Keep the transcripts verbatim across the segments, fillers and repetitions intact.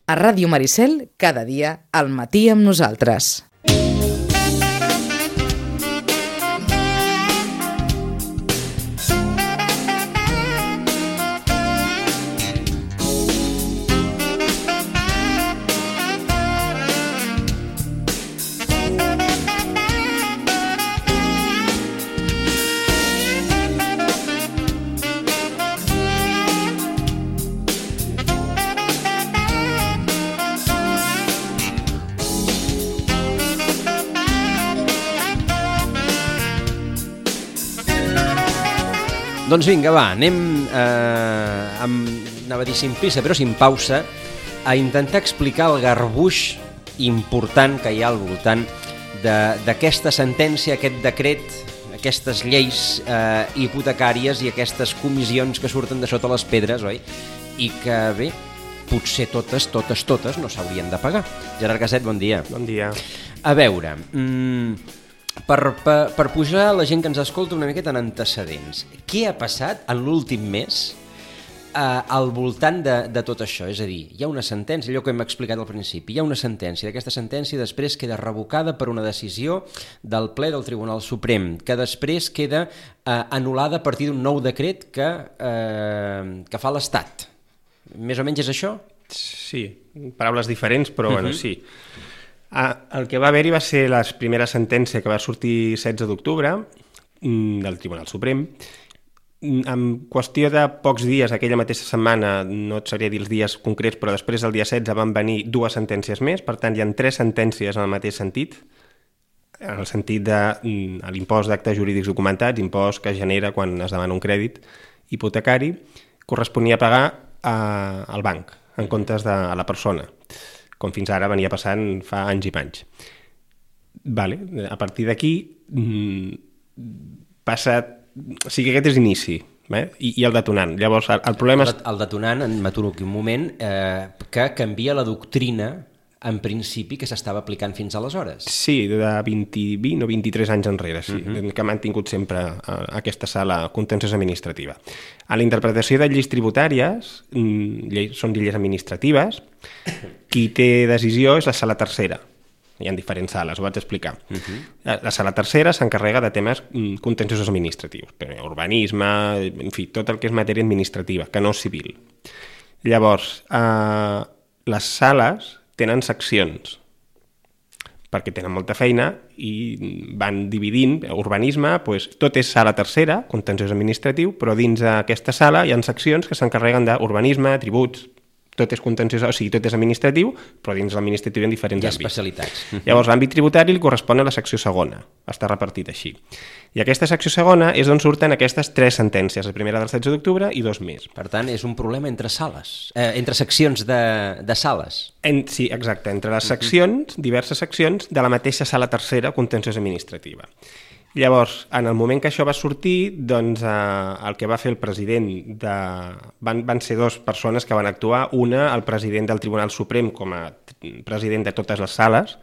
A Ràdio Maricel, cada dia, al matí amb nosaltres. Doncs vinga, va, anem, eh, amb, anava a dir sin prisa, però sin pausa, a intentar explicar el garbuix important que hi ha al voltant d'aquesta sentència, aquest decret, aquestes lleis eh, hipotecàries i aquestes comissions que surten de sota les pedres, oi? I que, bé, potser totes, totes, totes no s'haurien de pagar. Gerard Caset, bon dia. Bon dia. A veure... Mm, Per, per, per pujar la gent que ens escolta una miqueta en antecedents, què ha passat en l'últim mes eh, al voltant de, de tot això? És a dir, hi ha una sentència, allò que hem explicat al principi, hi ha una sentència, d'aquesta sentència després queda revocada per una decisió del ple del Tribunal Suprem, que després queda eh, anul·lada a partir d'un nou decret que, eh, que fa l'Estat. Més o menys és això? Sí, paraules diferents, però uh-huh. bueno, sí. Ah, el que va haver-hi va ser la primera sentència que va sortir setze d'octubre del Tribunal Suprem. En qüestió de pocs dies, aquella mateixa setmana, no et sabria dir els dies concrets, però després del dia setze van venir dues sentències més, per tant hi ha tres sentències en el mateix sentit, en el sentit de l'impost d'actes jurídics documentats, impost que genera quan es demana un crèdit hipotecari, corresponia a pagar a, al banc, en comptes de a la persona, com fins ara venia passant fa anys i panys. Vale. A partir d'aquí passa... O sigui, aquest és l'inici, eh? I, i el detonant. Llavors, el, el problema... El, el detonant, m'aturo aquí un moment, eh, que canvia la doctrina, en principi, que s'estava aplicant fins aleshores. Sí, de vint, vint o vint-i-tres anys enrere, sí, uh-huh. que ha mantingut sempre uh, aquesta sala contenciosa administrativa. A la interpretació de lleis tributàries, lleis, són lleis administratives, qui té decisió és la sala tercera. Hi ha diferents sales, ho vaig explicar. Uh-huh. La, la sala tercera s'encarrega de temes contenciosos administratius, urbanisme, en fi, tot el que és matèria administrativa, que no és civil. Llavors, uh, les sales tenen seccions, perquè tenen molta feina i van dividint. Urbanisme, doncs, tot és sala tercera, contenciós administratiu, però dins d'aquesta sala hi ha seccions que s'encarreguen d'urbanisme, tributs, tot és contenciós, o sigui, tot és administratiu, però dins l'administratiu hi ha diferents hi ha àmbits. Especialitats. Llavors, l'àmbit tributari li correspon a la secció segona, està repartit així. I aquesta secció segona és d'on surten aquestes tres sentències, la primera del setze d'octubre i dos més. Per tant, és un problema entre sales, eh, entre seccions de, de sales. En, sí, exacte, entre les seccions, diverses seccions, de la mateixa sala tercera contenciosa administrativa. Llavors, en el moment que això va sortir, doncs eh, el que va fer el president de... Van, van ser dues persones que van actuar, una, el president del Tribunal Suprem com a president de totes les sales,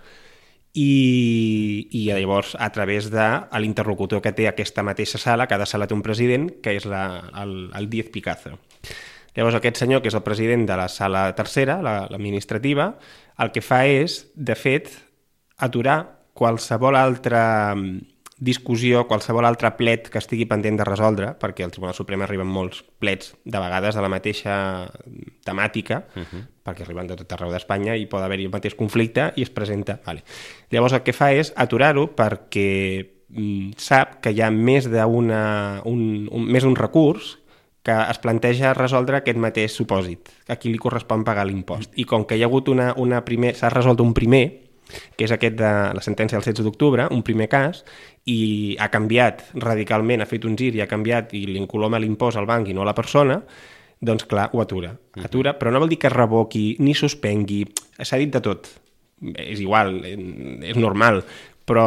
i, i llavors a través de l'interlocutor que té aquesta mateixa sala, cada sala té un president, que és la, el, el Díez Picazo. Llavors aquest senyor, que és el president de la sala tercera, l'administrativa, el que fa és, de fet, aturar qualsevol altra discussió, qualsevol altre plet que estigui pendent de resoldre, perquè al Tribunal Suprem arriben molts plets, de vegades de la mateixa temàtica, uh-huh. perquè arriben de tot arreu d'Espanya i pot haver-hi el mateix conflicte i es presenta. Vale. Llavors el que fa és aturar-ho perquè mm, sap que hi ha més d'un un, un, més un recurs que es planteja resoldre aquest mateix supòsit, que a qui li correspon pagar l'impost. I com que hi ha hagut una, una primer, s'ha resolt un primer, que és aquest de la sentència del setze d'octubre, un primer cas, i ha canviat radicalment, ha fet un gir i ha canviat i l'incoloma l'impost al banc i no a la persona, doncs clar, ho atura. Atura, però no vol dir que revoqui ni suspengui, s'ha dit de tot. És igual, és normal, però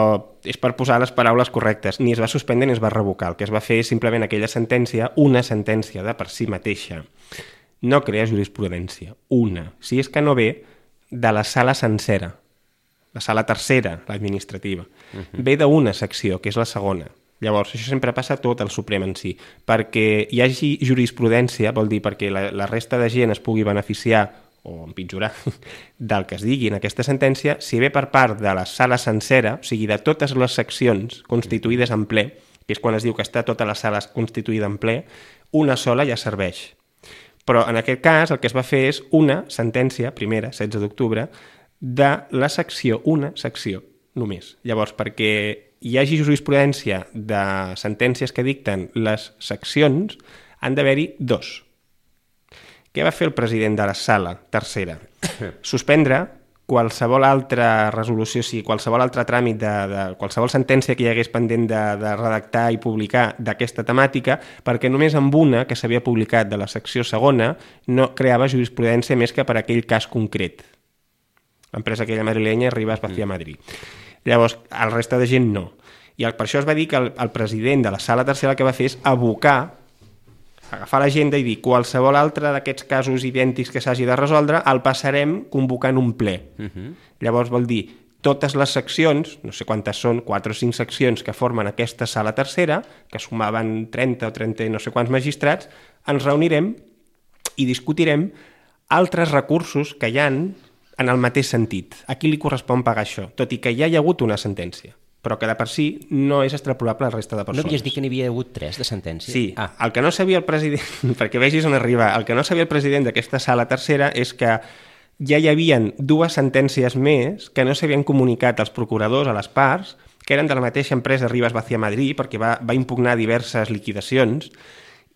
és per posar les paraules correctes. Ni es va suspendre ni es va revocar. El que es va fer és simplement aquella sentència, una sentència de per si mateixa. No crea jurisprudència, una. Si és que no ve de la sala sencera, la sala tercera, l'administrativa. Uh-huh. Ve d'una secció, que és la segona. Llavors, això sempre passa tot al Suprem en si. Perquè hi hagi jurisprudència, vol dir perquè la, la resta de gent es pugui beneficiar o empitjorar del que es digui en aquesta sentència, si ve per part de la sala sencera, o sigui, de totes les seccions constituïdes en ple, que és quan es diu que està tota la sala constituïda en ple, una sola ja serveix. Però en aquest cas el que es va fer és una sentència, primera, setze d'octubre, de la secció, una secció, només. Llavors, perquè hi hagi jurisprudència de sentències que dicten les seccions, han d'haver-hi dos. Què va fer el president de la sala tercera? Suspendre qualsevol altra resolució, o sigui, qualsevol altre tràmit, de, de qualsevol sentència que hi hagués pendent de, de redactar i publicar d'aquesta temàtica, perquè només amb una que s'havia publicat de la secció segona no creava jurisprudència més que per aquell cas concret. L'empresa aquella madrilenya Rivas Vacía Madrid. Llavors, el resta de gent no. I el, per això es va dir que el, el president de la sala tercera el que va fer és abocar, agafar l'agenda i dir qualsevol altre d'aquests casos idèntics que s'hagi de resoldre el passarem convocant un ple. Uh-huh. Llavors vol dir totes les seccions, no sé quantes són, quatre o cinc seccions que formen aquesta sala tercera, que sumaven trenta o trenta no sé quants magistrats, ens reunirem i discutirem altres recursos que hi han en el mateix sentit. A qui li correspon pagar això? Tot i que ja hi ha hagut una sentència, però que de per si no és extrapolable a la resta de persones. No havies dit que n'hi havia hagut tres de sentència? Sí, ah. El que no sabia el president, perquè vegis on arriba, el que no sabia el president d'aquesta sala tercera és que ja hi havien dues sentències més que no s'havien comunicat als procuradors, a les parts, que eren de la mateixa empresa Rivas Vacía Madrid, perquè va, va impugnar diverses liquidacions,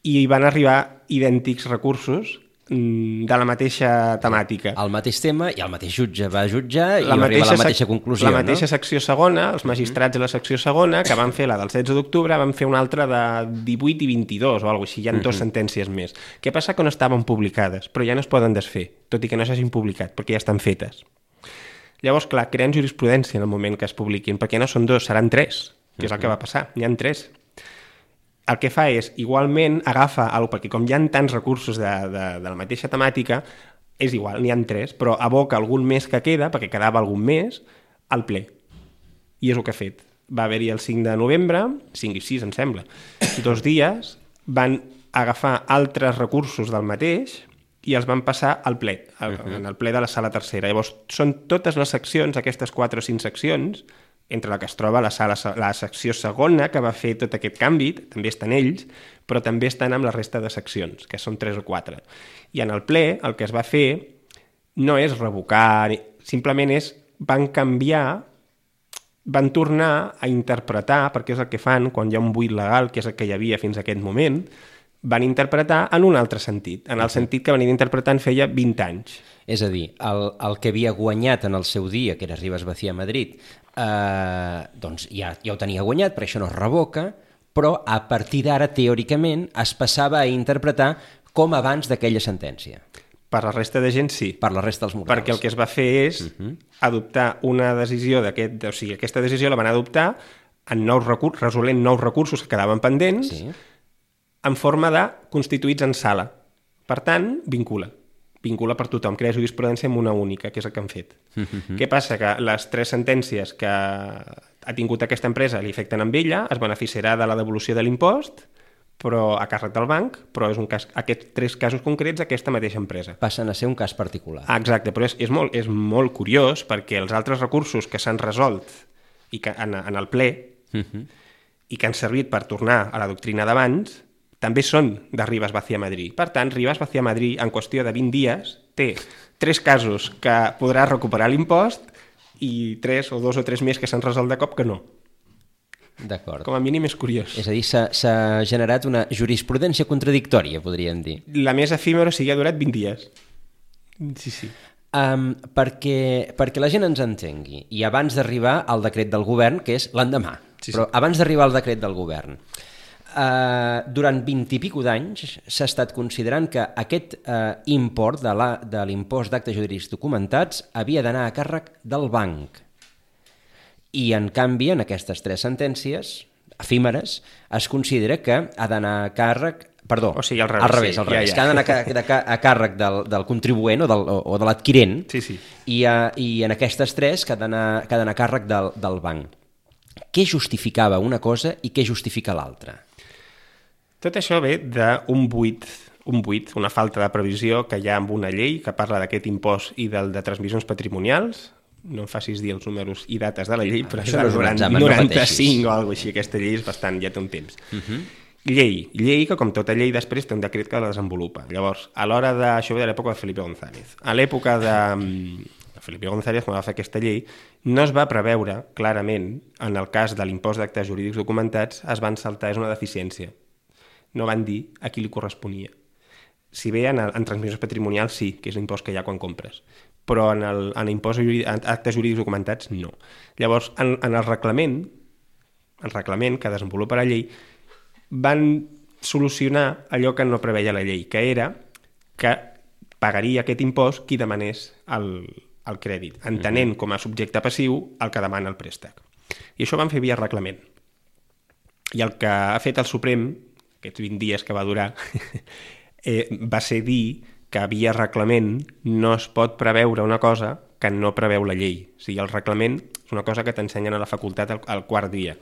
i van arribar idèntics recursos de la mateixa temàtica. El mateix tema i el mateix jutge va jutjar i va arribar a la mateixa conclusió. La mateixa no? secció segona, els magistrats de la secció segona, que van fer la del setze d'octubre, van fer una altra de divuit i vint-i-dos o alguna cosa així, hi ha dues sentències més. Què passa? Que no estaven publicades, però ja no es poden desfer, tot i que no s'hagin publicat, perquè ja estan fetes. Llavors, clar, creen jurisprudència en el moment que es publiquin, perquè no són dos, seran tres, que és el que va passar, n'hi ha tres. El que fa és, igualment, agafa, perquè com hi ha tants recursos de, de, de la mateixa temàtica, és igual, n'hi ha tres, però aboca algun més que queda, perquè quedava algun més, al ple. I és el que ha fet. Va haver-hi el cinc de novembre, cinc i sis, em sembla, dos dies, van agafar altres recursos del mateix i els van passar al ple, al, en el ple de la sala tercera. Llavors, són totes les seccions, aquestes quatre o cinc seccions, entre la que es troba la, sala, la secció segona, que va fer tot aquest canvi, també estan ells, però també estan amb la resta de seccions, que són tres o quatre. I en el ple, el que es va fer no és revocar, simplement és, van canviar, van tornar a interpretar, perquè és el que fan quan hi ha un buit legal, que és el que hi havia fins a aquest moment, van interpretar en un altre sentit, en el sentit que venien interpretant feia vint anys. És a dir, el, el que havia guanyat en el seu dia, que era Rivas Vacía Madrid, eh, doncs ja, ja ho tenia guanyat, per això no es revoca, però a partir d'ara, teòricament, es passava a interpretar com abans d'aquella sentència. Per la resta de gent, sí. Per la resta dels morals. Perquè el que es va fer és uh-huh. adoptar una decisió d'aquest... O sigui, aquesta decisió la van adoptar en nous recursos, resolent nous recursos que quedaven pendents, sí. en forma de constituïts en sala. Per tant, vincula. Vincula per tothom, crea jurisprudència amb una única, que és el que han fet. Uh-huh. Què passa? Que les tres sentències que ha tingut aquesta empresa li afecten amb ella, es beneficiarà de la devolució de l'impost, però a càrrec del banc, però és un cas, aquests tres casos concrets aquesta mateixa empresa. Passen a ser un cas particular. Ah, exacte, però és, és, molt, és molt curiós perquè els altres recursos que s'han resolt i que, en, en el ple uh-huh. i que han servit per tornar a la doctrina d'abans també són de Rivas Vacía Madrid. Per tant, Rivas Vacía Madrid, en qüestió de vint dies, té tres casos que podrà recuperar l'impost i tres o dos o tres més que s'han resolt de cop que no. D'acord. Com a mínim és curiós. És a dir, s'ha generat una jurisprudència contradictòria, podríem dir. La més efímera, o sigui, ha durat vint dies. Sí, sí. Um, perquè, perquè la gent ens entengui, i abans d'arribar al decret del govern, que és l'endemà, sí, sí. Però abans d'arribar al decret del govern, Uh, durant vint i pico d'anys s'ha estat considerant que aquest uh, import de, la, de l'impost d'actes jurídics documentats havia d'anar a càrrec del banc. I, en canvi, en aquestes tres sentències efímeres, es considera que ha d'anar a càrrec... Perdó, o sigui, al revés, al revés, sí, al revés ja, ja. que ha d'anar a, a, a càrrec del, del contribuent o, del, o de l'adquirent, sí, sí. I, uh, i en aquestes tres que ha d'anar a càrrec del, del banc. Què justificava una cosa i què justifica l'altra? Tot això ve d'un buit, un buit, una falta de previsió que hi ha amb una llei que parla d'aquest impost i del de transmissions patrimonials. No em facis dir els números i dates de la llei, però això és no és un del examen, no noranta-cinc pateixis. o alguna cosa així. Aquesta llei és bastant, ja té un temps. Uh -huh. Llei. Llei que, com tota llei, després té un decret que la desenvolupa. Llavors, a l'hora de... Això ve de l'època de Felipe González. A l'època de Felipe González, quan va fer aquesta llei, no es va preveure clarament, en el cas de l'impost d'actes jurídics documentats, es van saltar, és una deficiència. No van dir a qui li corresponia. Si bé en, el, en transmissions patrimonials sí, que és l'impost que hi ha quan compres, però en, el, en impost jurídic, en actes jurídics documentats no. Llavors, en, en el reglament, el reglament que desenvolupa la llei, van solucionar allò que no preveia la llei, que era que pagaria aquest impost qui demanés el, el crèdit, entenent com a subjecte passiu el que demana el préstec. I això ho van fer via reglament. I el que ha fet el Suprem, aquests vint dies que va durar, eh, va ser dir que via reglament no es pot preveure una cosa que no preveu la llei. O sigui, el reglament és una cosa que t'ensenyen a la facultat al, al quart dia.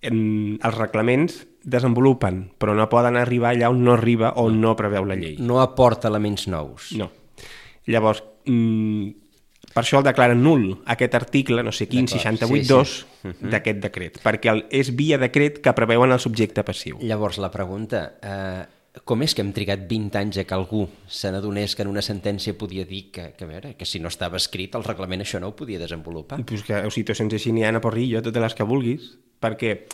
En, els reglaments desenvolupen, però no poden arribar allà on no arriba o no preveu la llei. No aporta elements nous. No. Llavors, mm, per això el declaren nul, aquest article, no sé quin, seixanta-vuit dos, sí, sí. uh-huh. d'aquest decret, perquè el, és via decret que preveuen el subjecte passiu. Llavors, la pregunta, eh, com és que hem trigat vint anys a que algú se n'adonés que en una sentència podia dir que, que, a veure, que si no estava escrit el reglament això no ho podia desenvolupar? Pues que, o sigui, situacions així n'hi ha a porrillo, totes les que vulguis, perquè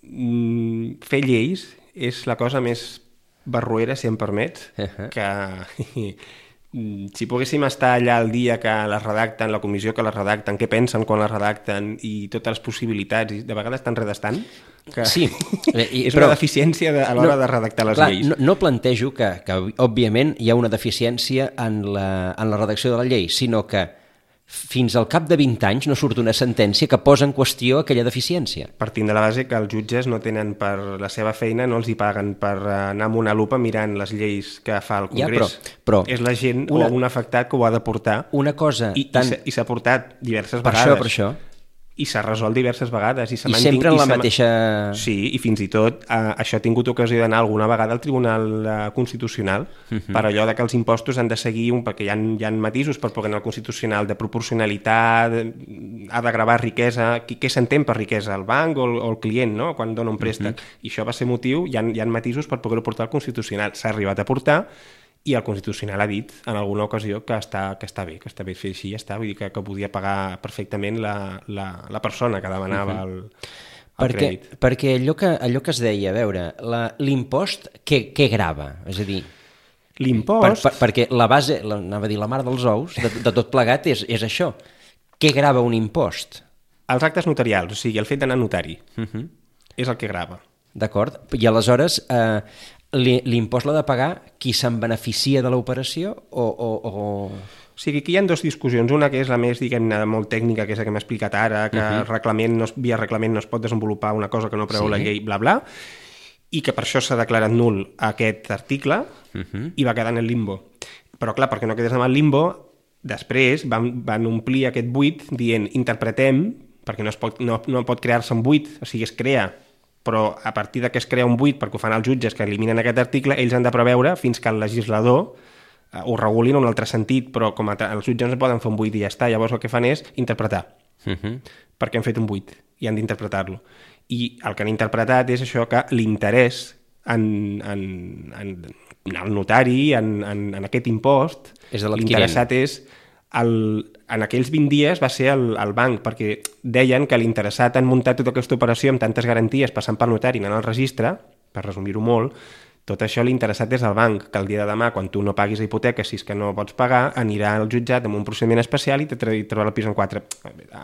mm, fer lleis és la cosa més barroera, si em permets, uh-huh. que si poguéssim estar allà el dia que les redacten, la comissió que les redacten, què pensen quan les redacten i totes les possibilitats, i de vegades tan redestant, que sí, i, és però, una deficiència de, a l'hora no, de redactar les clar, lleis. No, no plantejo que, que, òbviament, hi ha una deficiència en la, en la redacció de la llei, sinó que fins al cap de vint anys no surt una sentència que posa en qüestió aquella deficiència. Partint de la base que els jutges no tenen per la seva feina, no els hi paguen per anar amb una lupa mirant les lleis que fa el Congrés. Ja, però, però, és la gent una, o un afectat que ho ha de portar. Una cosa I, tan... i s'ha portat diverses per vegades. Això, per això. I s'ha resolt diverses vegades. I, I sempre en la mateixa... Sí, i fins i tot eh, això ha tingut ocasió d'anar alguna vegada al Tribunal eh, Constitucional uh -huh. per allò de que els impostos han de seguir, un, perquè hi ha, hi ha matisos per poder anar al Constitucional de proporcionalitat, ha de gravar riquesa, qui, què s'entén per riquesa, el banc o el, o el client, no?, quan dona un préstec. Uh -huh. I això va ser motiu, hi ha, hi ha matisos per poder-ho portar al Constitucional. S'ha arribat a portar, i el Constitucional ha dit en alguna ocasió que està, que està bé, que està bé fer així, ja està, vull dir que, que podia pagar perfectament la, la, la persona que demanava el, el perquè, crèdit. Perquè allò que, allò que es deia, a veure, l'impost què, què grava? És a dir, l'impost... Per, per, perquè la base, la, anava a dir la mare dels ous, de, de tot plegat és, és això. Què grava un impost? Els actes notarials, o sigui, el fet d'anar a notari, uh -huh. és el que grava. D'acord, i aleshores... Eh, l'impost l'ha de pagar qui se'n beneficia de l'operació o, o, o... O sigui, aquí hi ha dues discussions. Una que és la més, diguem-ne, molt tècnica, que és la que m'ha explicat ara, que uh-huh. reglament no, via reglament no es pot desenvolupar una cosa que no preveu sí. la llei, bla, bla, i que per això s'ha declarat nul aquest article uh-huh. i va quedar en el limbo. Però, clar, perquè no quedés en el limbo, després van, van omplir aquest buit dient interpretem, perquè no, es pot, no, no pot crear-se un buit, o sigui, es crea, però a partir de que es crea un buit perquè ho fan els jutges que eliminen aquest article, ells han de preveure fins que el legislador eh, ho reguli en un altre sentit, però com a els jutges no poden fer un buit i ja està, llavors el que fan és interpretar, uh-huh. perquè han fet un buit i han d'interpretar-lo. I el que han interpretat és això, que l'interès en, en, en, en el notari, en, en, en aquest impost, és l'interessat és... El, en aquells vint dies va ser el, el banc, perquè deien que l'interessat en muntar tota aquesta operació amb tantes garanties, passant pel notari, anant al registre, per resumir-ho molt, tot això l'interessat és el banc, que el dia de demà, quan tu no paguis la hipoteca, si és que no pots pagar, anirà al jutjat amb un procediment especial i te trobarà el pis en quatre,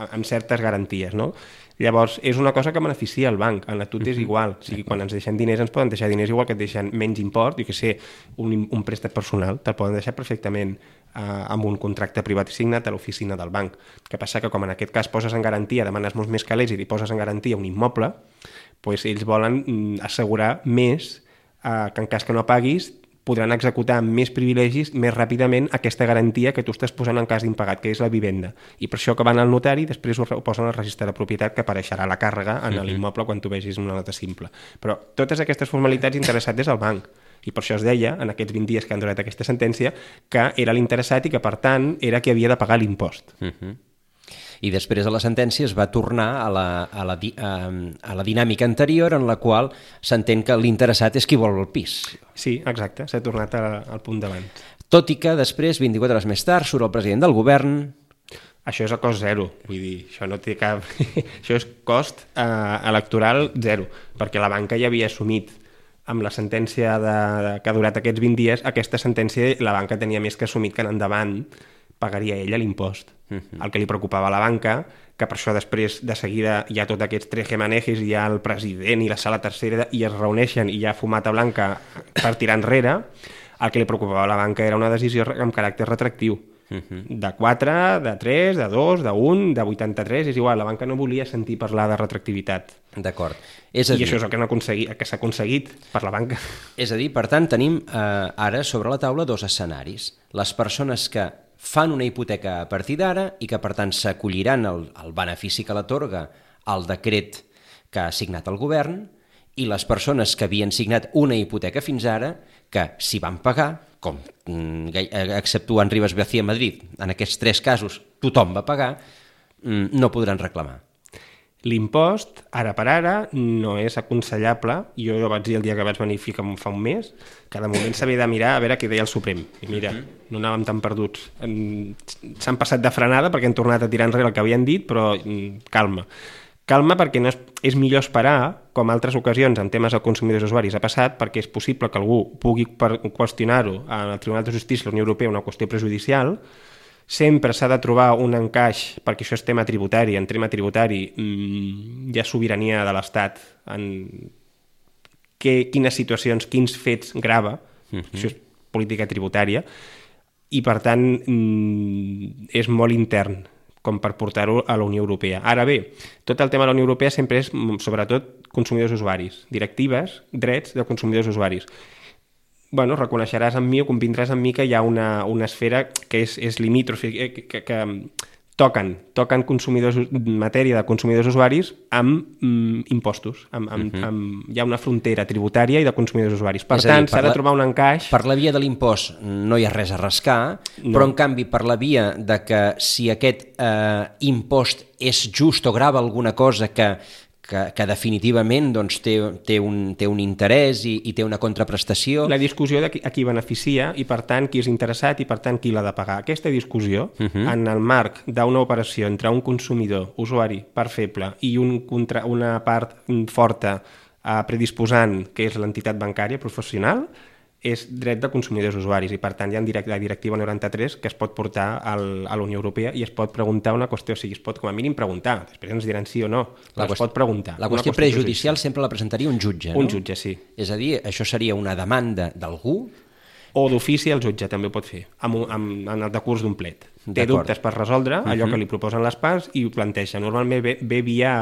amb certes garanties, no? Llavors, és una cosa que beneficia el banc, en la tut és igual, o sigui, quan ens deixen diners ens poden deixar diners igual que et deixen menys import, jo què sé, un, un préstec personal, te'l poden deixar perfectament amb un contracte privat signat a l'oficina del banc. El que passa que com en aquest cas poses en garantia, demanes molts més calés i li poses en garantia un immoble, doncs ells volen assegurar més eh, que en cas que no paguis podran executar amb més privilegis més ràpidament aquesta garantia que tu estàs posant en cas d'impagat, que és la vivenda. I per això que van al notari, després ho posen al registre de propietat, que apareixerà la càrrega en l'immoble quan tu vegis una nota simple. Però totes aquestes formalitats interessat és el banc. I per això es deia, en aquests vint dies que han durat aquesta sentència, que era l'interessat i que, per tant, era qui havia de pagar l'impost. Uh-huh. I després de la sentència es va tornar a la, a la, di, a, a la dinàmica anterior en la qual s'entén que l'interessat és qui vol el pis. Sí, exacte, s'ha tornat a, al punt d'abans. Tot i que després, vint-i-quatre hores més tard, surt el president del govern... Això és a cost zero, vull dir, això no té cap... això és cost eh, electoral zero, perquè la banca ja havia assumit amb la sentència de, de, que ha durat aquests vint dies, aquesta sentència la banca tenia més que assumit que en endavant pagaria ella l'impost. Uh-huh. El que li preocupava a la banca, que per això després de seguida hi ha tots aquests trejemanejes, hi ha el president i la sala tercera i es reuneixen i hi ha fumata blanca per tirar enrere, el que li preocupava a la banca era una decisió amb caràcter retractiu. Uh-huh. De quatre, de tres, de dos, de un, de vuitanta-tres, és igual, la banca no volia sentir parlar de retractivitat. D'acord. És a I dir... això és el que, no aconseguit, que s'ha aconseguit per la banca. És a dir, per tant, tenim eh, ara sobre la taula dos escenaris. Les persones que fan una hipoteca a partir d'ara i que, per tant, s'acolliran al, al benefici que l'atorga el decret que ha signat el govern, i les persones que havien signat una hipoteca fins ara, que si van pagar, com exceptuant Rivas García Madrid, en aquests tres casos tothom va pagar, no podran reclamar. L'impost, ara per ara, no és aconsellable. Jo ho vaig dir el dia que vaig venir fa un mes, que de moment s'havia de mirar a veure què deia el Suprem. I mira, no anàvem tan perduts. S'han passat de frenada perquè han tornat a tirar enrere el que havien dit, però calma. Calma perquè no és, és millor esperar, com altres ocasions en temes de consumidors i usuaris ha passat, perquè és possible que algú pugui qüestionar-ho al Tribunal de Justícia de la Unió Europea, una qüestió prejudicial. Sempre s'ha de trobar un encaix, perquè això és tema tributari, en tema tributari mmm, hi ha sobirania de l'Estat en que, quines situacions, quins fets grava, uh-huh. Això és política tributària, i per tant mmm, és molt intern com per portar-ho a la Unió Europea. Ara bé, tot el tema de la Unió Europea sempre és sobretot consumidors usuaris, directives, drets de consumidors usuaris. Bueno, reconeixeràs en mi o convindràs en mi que hi ha una, una esfera que és, és limítrof, que, que, que toquen, toquen consumidors, matèria de consumidors usuaris amb mm, impostos. Amb, amb, uh-huh. amb, hi ha una frontera tributària i de consumidors usuaris. Per és tant, s'ha de trobar un encaix... Per la via de l'impost no hi ha res a rascar, no. Però en canvi per la via de que si aquest eh, impost és just o grava alguna cosa que Que, que definitivament doncs, té, té, un, té un interès i, i té una contraprestació. La discussió de qui, a qui beneficia i, per tant, qui és interessat i, per tant, qui l'ha de pagar. Aquesta discussió, uh-huh. en el marc d'una operació entre un consumidor, usuari, part feble, i un contra, una part forta eh, predisposant, que és l'entitat bancària professional, és dret de consumidors usuaris i, per tant, hi ha la directiva noranta-tres que es pot portar al, a la Unió Europea i es pot preguntar una qüestió, o sigui, es pot com a mínim preguntar, després ens diran sí o no, però es pot preguntar. La qüestió prejudicial sempre la presentaria un jutge, no? Un jutge, sí. És a dir, això seria una demanda d'algú? O d'ofici el jutge també ho pot fer, amb, amb, en el decurs d'un plet. Té dubtes per resoldre allò uh-huh. que li proposen les parts i ho planteja. Normalment ve, ve via...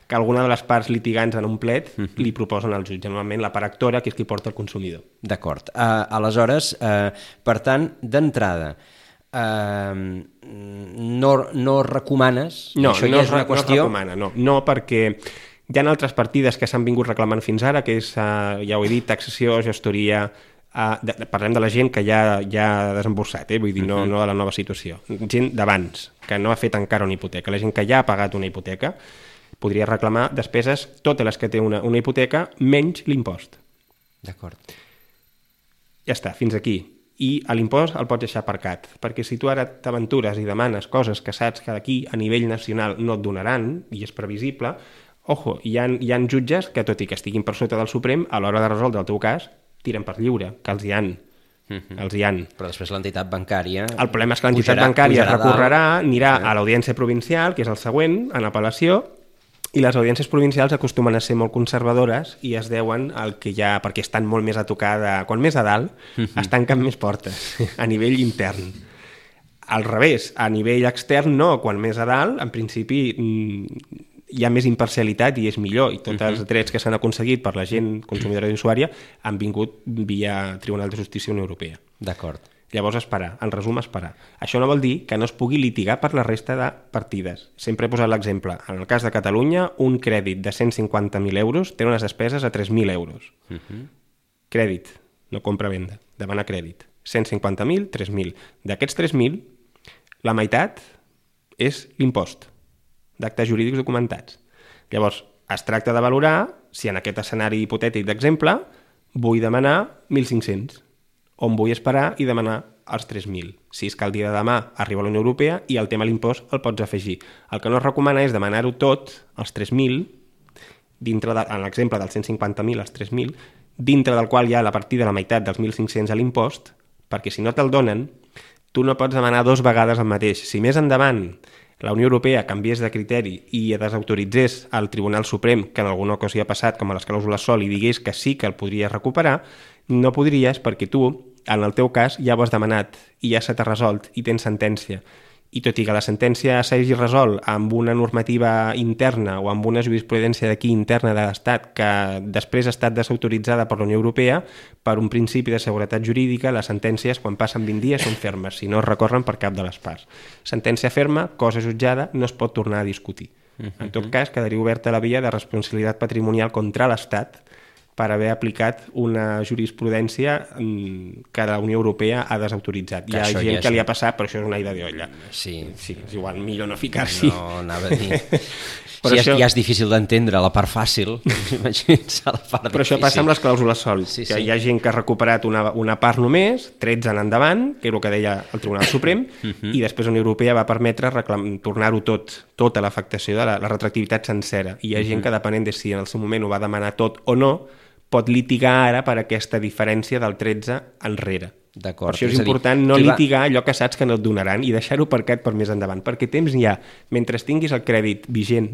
que alguna de les parts litigants en un plet uh-huh. li proposen al jutge, normalment la part actora, que és qui porta el consumidor. D'acord. Uh, aleshores, uh, per tant, d'entrada, uh, no, no recomanes? No, això no, ja és una no qüestió... es recomana, no. No, perquè hi ha altres partides que s'han vingut reclamant fins ara, que és, uh, ja ho he dit, taxació, gestoria... Uh, de, parlem de la gent que ja, ja ha desemborsat, eh? Vull dir, no, uh-huh. no de la nova situació. Gent d'abans, que no ha fet encara una hipoteca. La gent que ja ha pagat una hipoteca podria reclamar despeses, totes les que té una, una hipoteca, menys l'impost. D'acord. Ja està, fins aquí. I a l'impost el pots deixar aparcat, perquè si tu ara t'aventures i demanes coses que saps que d'aquí a nivell nacional no et donaran, i és previsible, ojo, hi ha, hi ha jutges que, tot i que estiguin per sota del Suprem, a l'hora de resoldre el teu cas, tiren per lliure, que els hi han. Uh-huh. Els hi han. Però després l'entitat bancària... El problema és que l'entitat bancària recorrerà, anirà a l'audiència provincial, que és el següent, en apel·lació, i les audiències provincials acostumen a ser molt conservadores i es deuen al que hi ha, perquè estan molt més a tocar de... Quan més a dalt, uh-huh. es tanquen més portes, a nivell intern. Al revés, a nivell extern no, quan més a dalt, en principi hi ha més imparcialitat i és millor, i tots uh-huh. els drets que s'han aconseguit per la gent consumidora i usuària han vingut via Tribunal de Justícia Unió Europea. D'acord. Llavors esperar, en resum esperar. Això no vol dir que no es pugui litigar per la resta de partides. Sempre he posat l'exemple. En el cas de Catalunya, un crèdit de cent cinquanta mil euros té unes despeses a tres mil euros. Uh-huh. crèdit, no compra-venda, demanar crèdit. cent cinquanta mil, tres mil. D'aquests tres mil, la meitat és l'impost d'actes jurídics documentats. Llavors, es tracta de valorar si en aquest escenari hipotètic d'exemple vull demanar mil cinc-cents o em vull esperar i demanar els tres mil. Si és que el dia de demà arriba a la Unió Europea i el tema de l'impost el pots afegir. El que no es recomana és demanar-ho tot, els tres mil, dintre de, en l'exemple dels cent cinquanta mil als tres mil, dintre del qual hi ha la partida de la meitat dels mil cinc-cents a l'impost, perquè si no te'l donen, tu no pots demanar dos vegades el mateix. Si més endavant la Unió Europea canviés de criteri i desautoritzés al Tribunal Suprem, que en alguna ocasió ha passat, com a les clàusules sol, i digués que sí que el podries recuperar, no podries perquè tu, en el teu cas, ja ho has demanat i ja se t'ha resolt i tens sentència. I tot i que la sentència s'hagi resolt amb una normativa interna o amb una jurisprudència d'aquí interna de l'Estat que després ha estat desautoritzada per la Unió Europea, per un principi de seguretat jurídica, les sentències, quan passen vint dies, són fermes, si no es recorren per cap de les parts. Sentència ferma, cosa jutjada, no es pot tornar a discutir. En tot cas, quedaria oberta la via de responsabilitat patrimonial contra l'Estat per haver aplicat una jurisprudència que la Unió Europea ha desautoritzat. Hi ha gent ja que li ha passat, però això és una ida de olla. Sí. Sí, és igual, millor no ficar-s'hi. No, anava a dir... Si ja, això... ja és difícil d'entendre la part fàcil, imagina't la part difícil. Però això passa amb les clàusules sol, sí, que sí. Hi ha gent que ha recuperat una, una part només, tretze en endavant, que és el que deia el Tribunal Suprem, uh-huh. I després la Unió Europea va permetre reclam... tornar-ho tot, tota l'afectació de la, la retroactivitat sencera. I hi ha uh-huh. gent que, depenent de si en el seu moment ho va demanar tot o no, pot litigar ara per aquesta diferència del tretze enrere. D'acord. Per això és, és important dir, no litigar va... allò que saps que no et donaran i deixar-ho aparcat per més endavant, perquè temps hi ha. Mentre tinguis el crèdit vigent,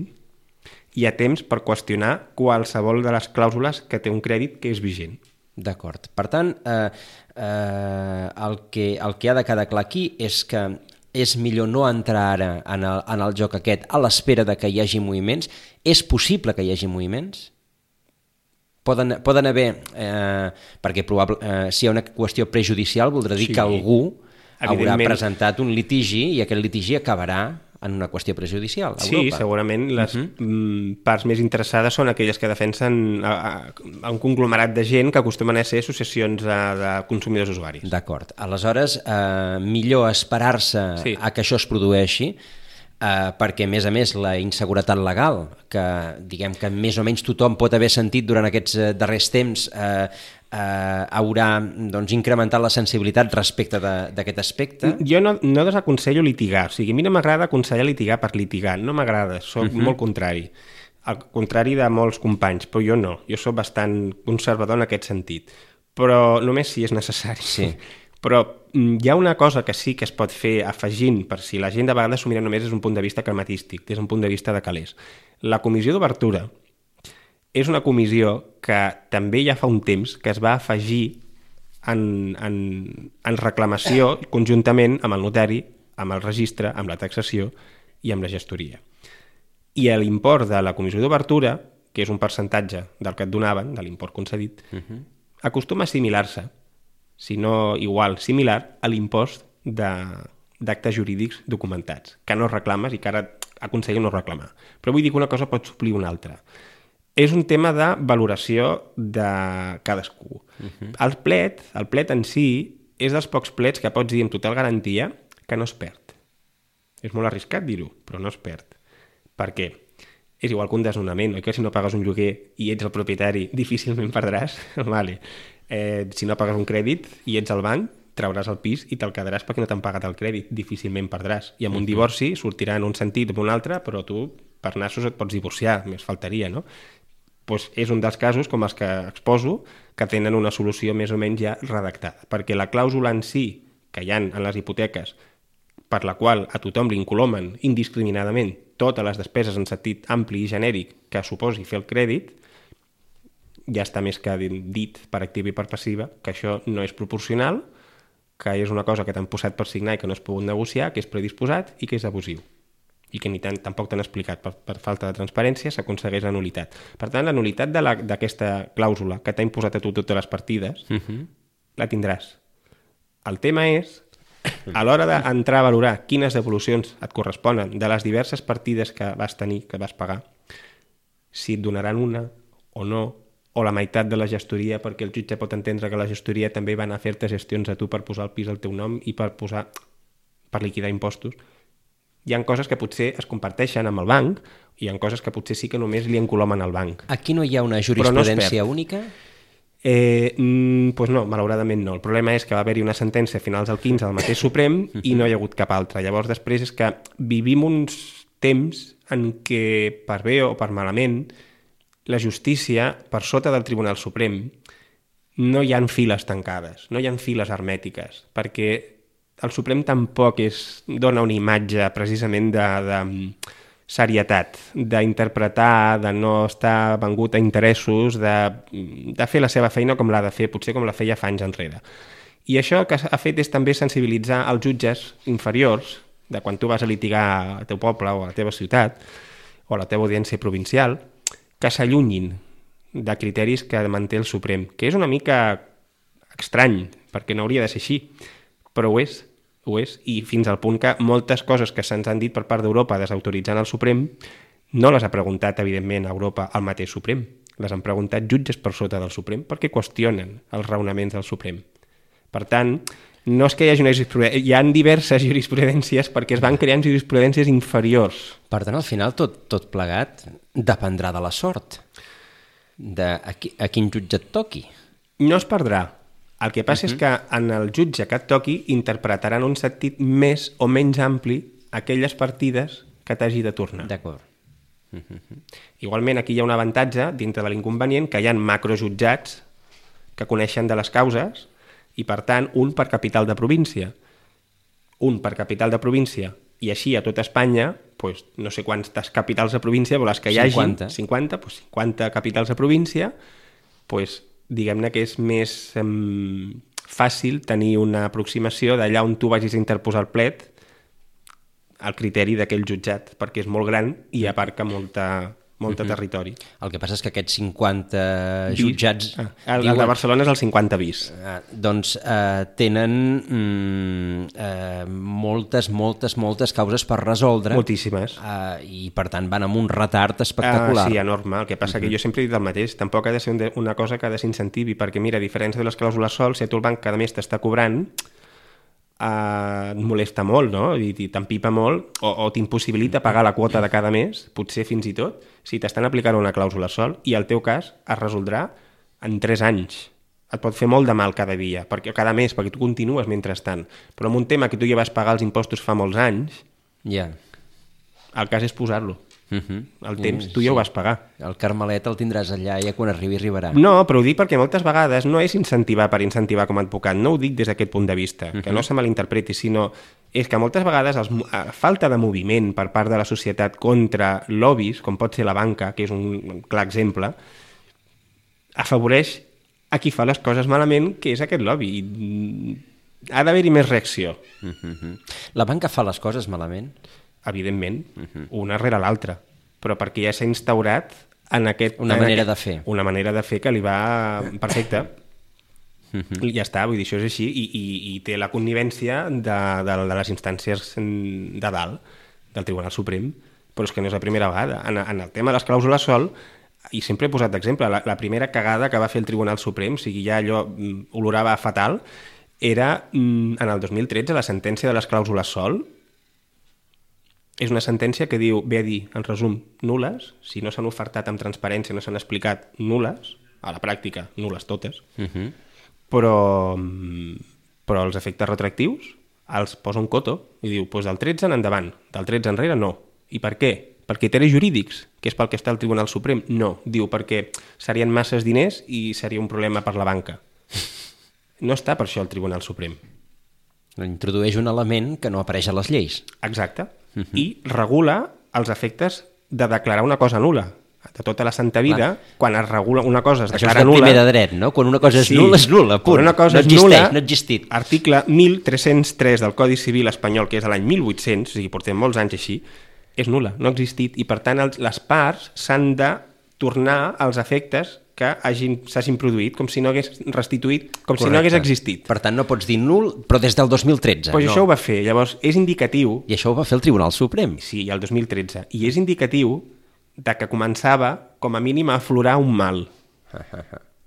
hi ha temps per qüestionar qualsevol de les clàusules que té un crèdit que és vigent. D'acord. Per tant, eh, eh, el, que, el que ha de quedar clar aquí és que és millor no entrar ara en el, en el joc aquest a l'espera de que hi hagi moviments. És possible que hi hagi moviments? Poden, poden haver, eh, perquè probable, eh, si hi ha una qüestió prejudicial, voldrà dir sí, que algú haurà presentat un litigi i aquest litigi acabarà en una qüestió prejudicial a sí, Europa. Sí, segurament les uh-huh. parts més interessades són aquelles que defensen a, a, a un conglomerat de gent que acostumen a ser associacions de, de consumidors usuaris. D'acord. Aleshores, eh, millor esperar-se sí. a que això es produeixi, Uh, perquè, a més a més, la inseguretat legal, que diguem que més o menys tothom pot haver sentit durant aquests uh, darrers temps, uh, uh, haurà doncs, incrementat la sensibilitat respecte d'aquest aspecte. Jo no, no desaconsello litigar. O sigui, a mi no m'agrada aconsellar litigar per litigar. No m'agrada, soc uh-huh. molt contrari. Al contrari de molts companys, però jo no. Jo soc bastant conservador en aquest sentit. Però només si és necessari. Sí. Però hi ha una cosa que sí que es pot fer afegint, per si la gent de vegades s'ho mira només des d'un punt de vista crematístic, des d'un punt de vista de calés. La comissió d'obertura és una comissió que també ja fa un temps que es va afegir en, en, en reclamació conjuntament amb el notari, amb el registre, amb la taxació i amb la gestoria. I l'import de la comissió d'obertura, que és un percentatge del que et donaven, de l'import concedit, uh-huh. acostuma a assimilar-se, si no igual, similar a l'impost d'actes jurídics documentats, que no reclames i que ara aconsella no reclamar. Però vull dir que una cosa pot suplir una altra. És un tema de valoració de cadascú. Uh-huh. El plet, el plet en si, és dels pocs plets que pots dir amb total garantia que no es perd. És molt arriscat dir-ho, però no es perd. Per què? És igual que un desnonament, oi que si no pagues un lloguer i ets el propietari, difícilment perdràs? Vale. Eh, si no pagues un crèdit i ets al banc, trauràs el pis i te'l quedaràs perquè no t'han pagat el crèdit, difícilment perdràs. I amb un divorci sortirà en un sentit o en un altre, però tu per nassos et pots divorciar, més faltaria, no? Pues és un dels casos, com els que exposo, que tenen una solució més o menys ja redactada, perquè la clàusula en si que hi ha en les hipoteques, per la qual a tothom li incolomen indiscriminadament totes les despeses en sentit ampli i genèric que suposi fer el crèdit, ja està més que dit per activa i per passiva que això no és proporcional, que és una cosa que t'han posat per signar i que no es pogut negociar, que és predisposat i que és abusiu. I que ni tant, tampoc t'han explicat. Per, per falta de transparència s'aconsegueix la nulitat. Per tant, la nulitat d'aquesta clàusula que t'ha imposat a tu totes les partides, uh-huh. la tindràs. El tema és, a l'hora d'entrar a valorar quines devolucions et corresponen de les diverses partides que vas tenir, que vas pagar, si et donaran una o no, o la meitat de la gestoria, perquè el jutge pot entendre que la gestoria també va anar a fer-te gestions a tu per posar el pis al teu nom i per posar per liquidar impostos. Hi ha coses que potser es comparteixen amb el banc i hi ha coses que potser sí que només li encolomen al banc. Aquí no hi ha una jurisprudència no única? Eh, mm, pues no, malauradament no. El problema és que va haver-hi una sentència a finals del quinze del mateix Suprem i no hi ha hagut cap altra. Llavors després és que vivim uns temps en què, per bé o per malament, la justícia, per sota del Tribunal Suprem, no hi ha files tancades, no hi ha files hermètiques, perquè el Suprem tampoc és, dona una imatge precisament de, de serietat, d'interpretar, de no estar vengut a interessos, de, de fer la seva feina com l'ha de fer, potser com la feia fa anys enrere. I això el que ha fet és també sensibilitzar els jutges inferiors, de quan tu vas a litigar al teu poble o a la teva ciutat, o a la teva audiència provincial, que s'allunyin de criteris que manté el Suprem, que és una mica estrany, perquè no hauria de ser així, però ho és, ho és, i fins al punt que moltes coses que se'ns han dit per part d'Europa desautoritzant el Suprem no les ha preguntat, evidentment, a Europa el mateix Suprem, les han preguntat jutges per sota del Suprem perquè qüestionen els raonaments del Suprem. Per tant, no és que hi hagi una jurisprudència, hi ha diverses jurisprudències perquè es van creant jurisprudències inferiors. Per tant, al final, tot, tot plegat dependrà de la sort, de a, qui, a quin jutge et toqui. No es perdrà. El que passa uh-huh. és que en el jutge que et toqui interpretaran un sentit més o menys ampli aquelles partides que t'hagi de tornar. D'acord. Uh-huh. Igualment, aquí hi ha un avantatge, dintre de l'inconvenient, que hi ha macrojutjats que coneixen de les causes i, per tant, un per capital de província. Un per capital de província i així a tota Espanya, pues, no sé quantes capitals de província, però les que hi hagi, cinquanta, cinquanta, pues, cinquanta capitals de província, pues, diguem-ne que és més eh, fàcil tenir una aproximació d'allà on tu vagis a interposar el plet al criteri d'aquell jutjat, perquè és molt gran i abarca molta... molt de territori. El que passa és que aquests cinquanta jutjats... Ah, el, diuen, el de Barcelona és el cinquanta bis. Eh, doncs eh, tenen mm, eh, moltes, moltes, moltes causes per resoldre. Moltíssimes. Eh, I, per tant, van amb un retard espectacular. Ah, sí, enorme. El que passa uh-huh. que jo sempre he dit el mateix. Tampoc ha de ser una cosa que desincentivi, perquè, mira, a diferència de les clàusules sol, si a tu el banc cada mes t'està cobrant, Uh, et molesta molt, no? I, i t'empipa molt, o, o t'impossibilita pagar la quota de cada mes, potser fins i tot, si t'estan aplicant una clàusula sol, i el teu cas es resoldrà en tres anys. Et pot fer molt de mal cada dia, perquè cada mes, perquè tu continues mentrestant. Però en un tema que tu ja vas pagar els impostos fa molts anys, yeah. el cas és posar-lo. Uh-huh. El temps, tu ja ho vas pagar. El carmelet el tindràs allà, ja quan arribi arribarà. No, però ho dic perquè moltes vegades no és incentivar per incentivar com a advocat, no ho dic des d'aquest punt de vista, uh-huh. que no se malinterpreti, sinó és que moltes vegades els, a falta de moviment per part de la societat contra lobbies, com pot ser la banca, que és un clar exemple, afavoreix a qui fa les coses malament, que és aquest lobby. I ha d'haver-hi més reacció. Uh-huh. La banca fa les coses malament? Evidentment, uh-huh. una rere l'altra, però perquè ja s'ha instaurat en aquest... Una en manera aquest, de fer. Una manera de fer que li va perfecte. Uh-huh. Ja està, vull dir, això és així, i, i, i té la connivència de, de, de les instàncies de dalt, del Tribunal Suprem, però és que no és la primera vegada. En, en el tema de les clàusules sol, i sempre he posat d'exemple, la, la primera cagada que va fer el Tribunal Suprem, o sigui, ja allò olorava fatal, era en el dos mil tretze la sentència de les clàusules sol. És una sentència que diu, ve a dir, en resum, nules, si no s'han ofertat amb transparència, no s'han explicat, nules, a la pràctica, nules totes, uh-huh. però, però els efectes retractius els posa un coto i diu, doncs del tretze en endavant, del tretze enrere no. I per què? Per criteris jurídics, que és pel que està el Tribunal Suprem? No, diu perquè serien masses diners i seria un problema per la banca. No està per això el Tribunal Suprem. Introdueix un element que no apareix a les lleis. Exacte. Uh-huh. I regula els efectes de declarar una cosa nul·la. De tota la santa vida, clar. Quan es regula una cosa es això declara nul·la... Això és de primer de dret, no? Quan una cosa és sí. nul·la, és nul·la, punt. Quan una cosa no és existeix, nul·la, no ha existit. Article mil tres-cents tres del Codi Civil espanyol, que és l'any mil vuit-cents, o sigui, portem molts anys així, és nul·la, no ha existit, i per tant els, les parts s'han de tornar als efectes que hagin, s'hagin produït, com si no hagués restituït, com Correcte. Si no hagués existit. Per tant, no pots dir nul, però des del dos mil tretze. Pues no. Això ho va fer, llavors és indicatiu... I això ho va fer el Tribunal Suprem. Sí, el dos mil tretze. I és indicatiu de que començava, com a mínim, a aflorar un mal.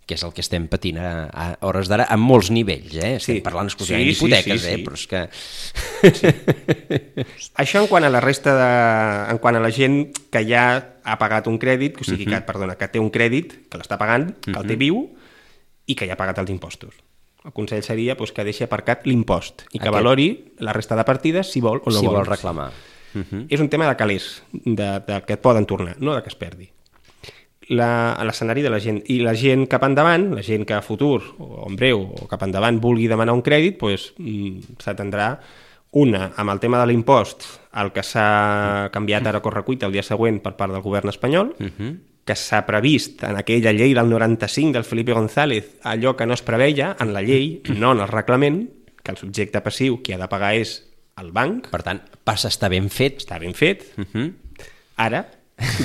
Que és el que estem patint a, a hores d'ara a molts nivells, eh? Estem Sí. parlant exclusivament Sí, sí, d'hipoteques, sí, sí. eh? Però és que... Això en quant a la resta de... en quant a la gent que ja ha pagat un crèdit, o sigui, Mhm. que, perdona, que té un crèdit, que l'està pagant, que el té viu i que ja ha pagat els impostos. El consell seria doncs, que deixi aparcat l'impost i que Aquest. valori la resta de partides si vol o no si vol. vol reclamar. Mhm. És un tema de calés, de, de que et poden tornar, no de que es perdi. La- l'escenari de la gent. I la gent cap endavant, la gent que a futur o en breu o cap endavant vulgui demanar un crèdit, doncs, mm, s'atendrà una amb el tema de l'impost, el que s'ha canviat ara a correcuita el dia següent per part del govern espanyol, Mhm. que s'ha previst en aquella llei del noranta-cinc del Felipe González, allò que no es preveia en la llei, no en el reglament, que el subjecte passiu qui ha de pagar és el banc, Per tant, passa a estar ben fet. està ben fet, Mhm. ara,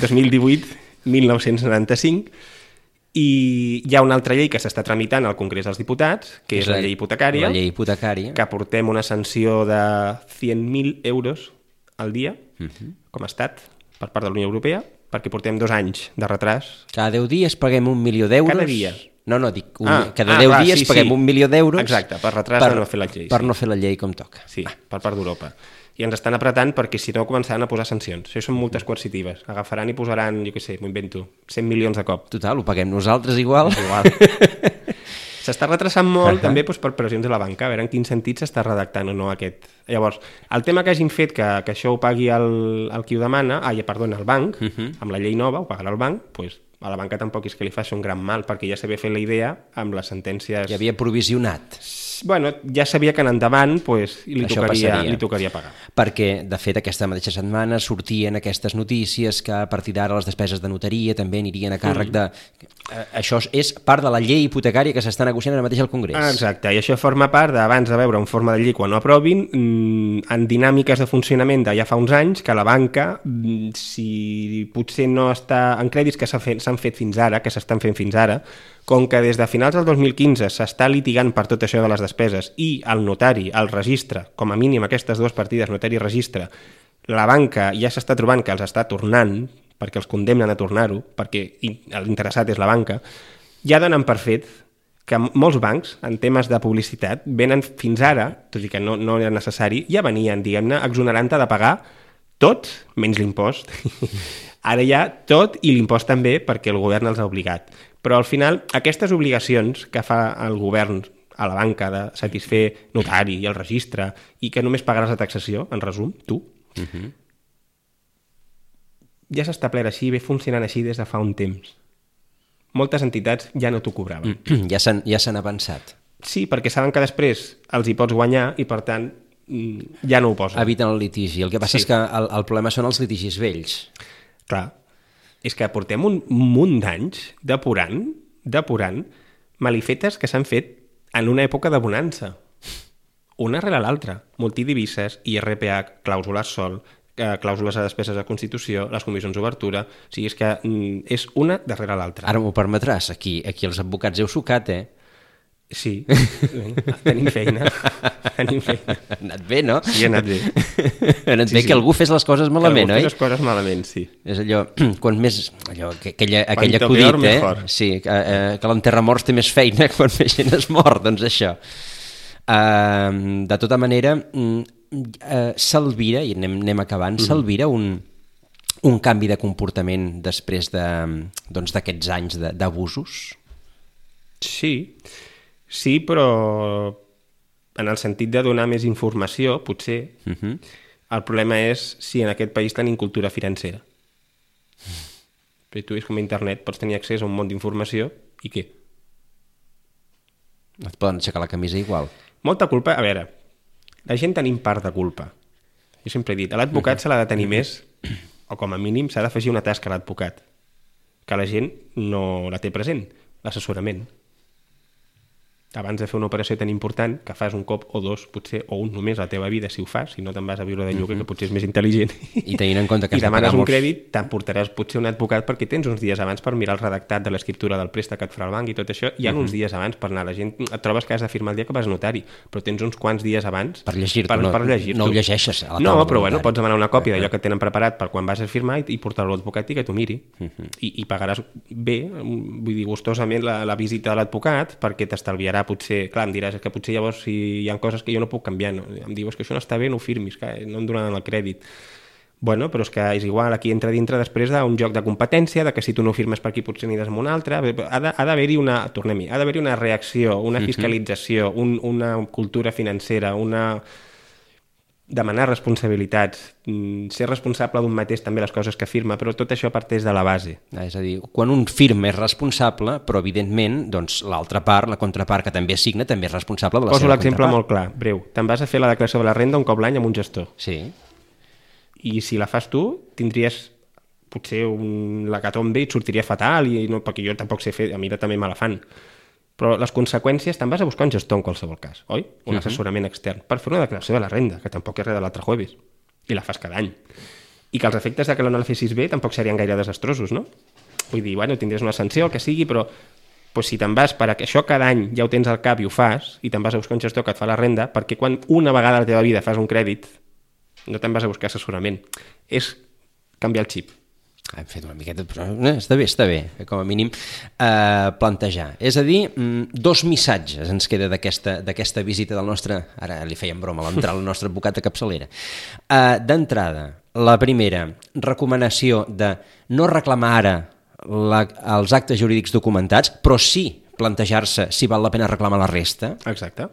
dos mil divuit mil nou-cents noranta-cinc, i hi ha una altra llei que s'està tramitant al Congrés dels Diputats, que és la llei hipotecària, La llei hipotecària. que portem una sanció de cent mil euros al dia, com a estat, per part de la Unió Europea, perquè portem dos anys de retras. Cada deu dies paguem un milió d'euros. Cada dia. No, no, dic, un, Ah, cada ah, deu clar, dies sí, paguem sí. un milió d'euros. Exacte, per retras de no fer la llei, Per sí. no fer la llei com toca. Sí, per part d'Europa. I ens estan apretant perquè si no començaran a posar sancions. Això són multes coercitives. Agafaran i posaran, jo què sé, m'ho invento, cent milions de cop. Total, ho paguem nosaltres igual. Igual. S'està retrasant molt, uh -huh. també doncs, per pressions de la banca, a veure en quin sentit s'està redactant o no aquest. Llavors, el tema que hagin fet que, que això ho pagui el, el qui ho demana, ah, ja, perdona, el banc, uh -huh. amb la llei nova, ho pagarà el banc, doncs a la banca tampoc és que li faci un gran mal, perquè ja s'havia fet la idea amb les sentències... Ja havia provisionat. Bueno, ja sabia que en endavant pues, li, Això tocaria, passaria. li tocaria pagar. Perquè, de fet, aquesta mateixa setmana sortien aquestes notícies que a partir d'ara les despeses de notaria també anirien a càrrec de... Eh, això és part de la llei hipotecària que s'està negociant ara mateix al Congrés. Ah, exacte, i això forma part d'abans de veure en forma de llei quan ho aprovin, mmm, en dinàmiques de funcionament de ja fa uns anys, que la banca, mmm, si potser no està en crèdits que s'han fet, s'han fet fins ara, que s'estan fent fins ara, com que des de finals del dos mil quinze s'està litigant per tot això de les despeses i el notari, el registre, com a mínim aquestes dues partides, notari i registre, la banca ja s'està trobant que els està tornant, perquè els condemnen a tornar-ho, perquè l'interessat és la banca, ja donen per fet que molts bancs, en temes de publicitat, venen fins ara, tot i que no, no era necessari, ja venien, diguem-ne, exonerant-te de pagar tot, menys l'impost. Ara ja tot i l'impost també, perquè el govern els ha obligat. Però al final, aquestes obligacions que fa el govern a la banca de satisfer notari i el registre i que només pagaràs la taxació, en resum, tu, uh-huh. ja s'ha establert així, ve funcionant així des de fa un temps. Moltes entitats ja no t'ho cobraven. Ja s'han ja s'han avançat. Sí, perquè saben que després els hi pots guanyar i, per tant, ja no ho posen. Eviten el litigi. El que passa Sí. és que el, el problema són els litigis vells. Clar, és que portem un munt d'anys depurant, depurant malifetes que s'han fet en una època de bonança. Una rere l'altra. Multidivises, I R P H, clàusules sol, eh, clàusules a despeses de Constitució, les comissions d'obertura... O sigui, és que mm, és una darrere l'altra. Ara m'ho permetràs. Aquí, aquí els advocats heu sucat, eh? Sí, tenim feina. Tenim feina. Ha anat bé, no? Sí, ha anat bé. Ha anat Sí, bé sí. que algú fes les coses malament, que algú oi? fes les coses malament, sí. És allò, quan més... Allò, que- aquella, aquell Quanto acudit, peor, eh? mejor. Sí, que, eh, que l'enterramorts té més feina quan més gent es mor, doncs això. Uh, de tota manera, uh, s'alvira, i anem, anem acabant, Mhm. s'alvira un, un canvi de comportament després de, doncs, d'aquests anys de- d'abusos? Sí, sí, però en el sentit de donar més informació, potser, Uh -huh. el problema és si en aquest país tenim cultura financera. Però tu és com a internet, pots tenir accés a un món d'informació i què? Et poden aixecar la camisa igual. Molta culpa, a veure, la gent tenim part de culpa. Jo sempre he dit, a l'advocat se l'ha de tenir més, o com a mínim s'ha d'afegir una tasca a l'advocat, que la gent no la té present, l'assessorament. abans de fer una operació tan important, que fas un cop o dos, potser, o un només a la teva vida, si ho fas, si no te'n vas a viure de lloguer, mm-hmm. que potser és més intel·ligent, i tenint en compte que i demanes un crèdit, t'emportaràs potser un advocat perquè tens uns dies abans per mirar el redactat de l'escriptura del préstec que et farà el banc i tot això, hi ha mm-hmm. uns dies abans per anar. La gent et trobes que has de firmar el dia que vas a notari, però tens uns quants dies abans per llegir-t'ho, per, no, per llegir no ho llegeixes a la taula. No, però bueno, pots demanar una còpia d'allò que et tenen preparat per quan vas a firmar i, i portar-lo a l'advocat i que t'ho miri. Mm-hmm. I, i pagaràs bé, vull dir, gustosament la, la visita a l'advocat, perquè t'estalviarà potser, clar, em diràs que potser llavors si hi ha coses que jo no puc canviar, no? Em dius que això no està bé, no ho firmis, que no em donaran el crèdit. Bueno, però és que és igual, aquí entra dintre després d'un joc de competència, de que si tu no ho firmes per aquí potser aniràs amb un altre, ha d'haver-hi una, tornem-hi, ha d'haver-hi una reacció, una fiscalització, un, una cultura financera, una... demanar responsabilitats, ser responsable d'un mateix també les coses que firma, però tot això parteix de la base. Ah, és a dir, quan un firma és responsable, però evidentment doncs, l'altra part, la contrapart que també signa, també és responsable de la Poso seva l'exemple contrapart. molt clar, breu. Te'n vas a fer la declaració de la renda un cop l'any amb un gestor. Sí. I si la fas tu, tindries potser un l'hecatombe i et sortiria fatal, i no, perquè jo tampoc sé fer, a mi també me la fan. Però les conseqüències te'n vas a buscar un gestor en qualsevol cas, oi? Un assessorament extern per fer una declaració de la renda, que tampoc és res de l'altre jueves, i la fas cada any. I que els efectes de que no la fessis bé tampoc serien gaire desastrosos, no? Vull dir, bueno, tindries una sanció, el que sigui, però pues, si te'n vas per a que això cada any ja ho tens al cap i ho fas, i te'n vas a buscar un gestor que et fa la renda, perquè quan una vegada a la teva vida fas un crèdit, no te'n vas a buscar assessorament. És canviar el xip. Hem fet una miqueta, però eh, està bé, està bé, com a mínim eh, plantejar. És a dir, dos missatges ens queda d'aquesta visita del nostre, ara li fèiem broma, l'entrar el nostre advocat de capçalera. Eh, D'entrada, la primera, recomanació de no reclamar ara la, els actes jurídics documentats, però sí plantejar-se si val la pena reclamar la resta. Exacte.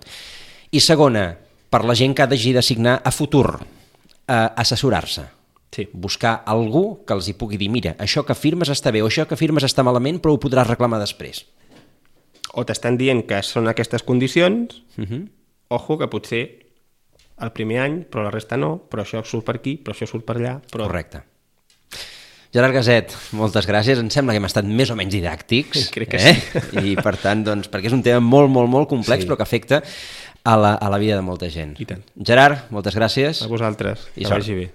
I segona, per la gent que ha d'hagi de signar a futur, eh, assessorar-se. Sí. Buscar algú que els hi pugui dir, mira, això que firmes està bé o això que firmes està malament, però ho podràs reclamar després. O t'estan dient que són aquestes condicions, Uh-huh. ojo, que potser el primer any, però la resta no, però això surt per aquí, però això surt per allà. Però... Correcte. Gerard Gaset, moltes gràcies. Em sembla que hem estat més o menys didàctics. Crec que eh? sí. I per tant, doncs, perquè és un tema molt, molt, molt complex, sí. però que afecta a la, a la vida de molta gent. I tant. Gerard, moltes gràcies. A vosaltres, I que sort. vagi bé.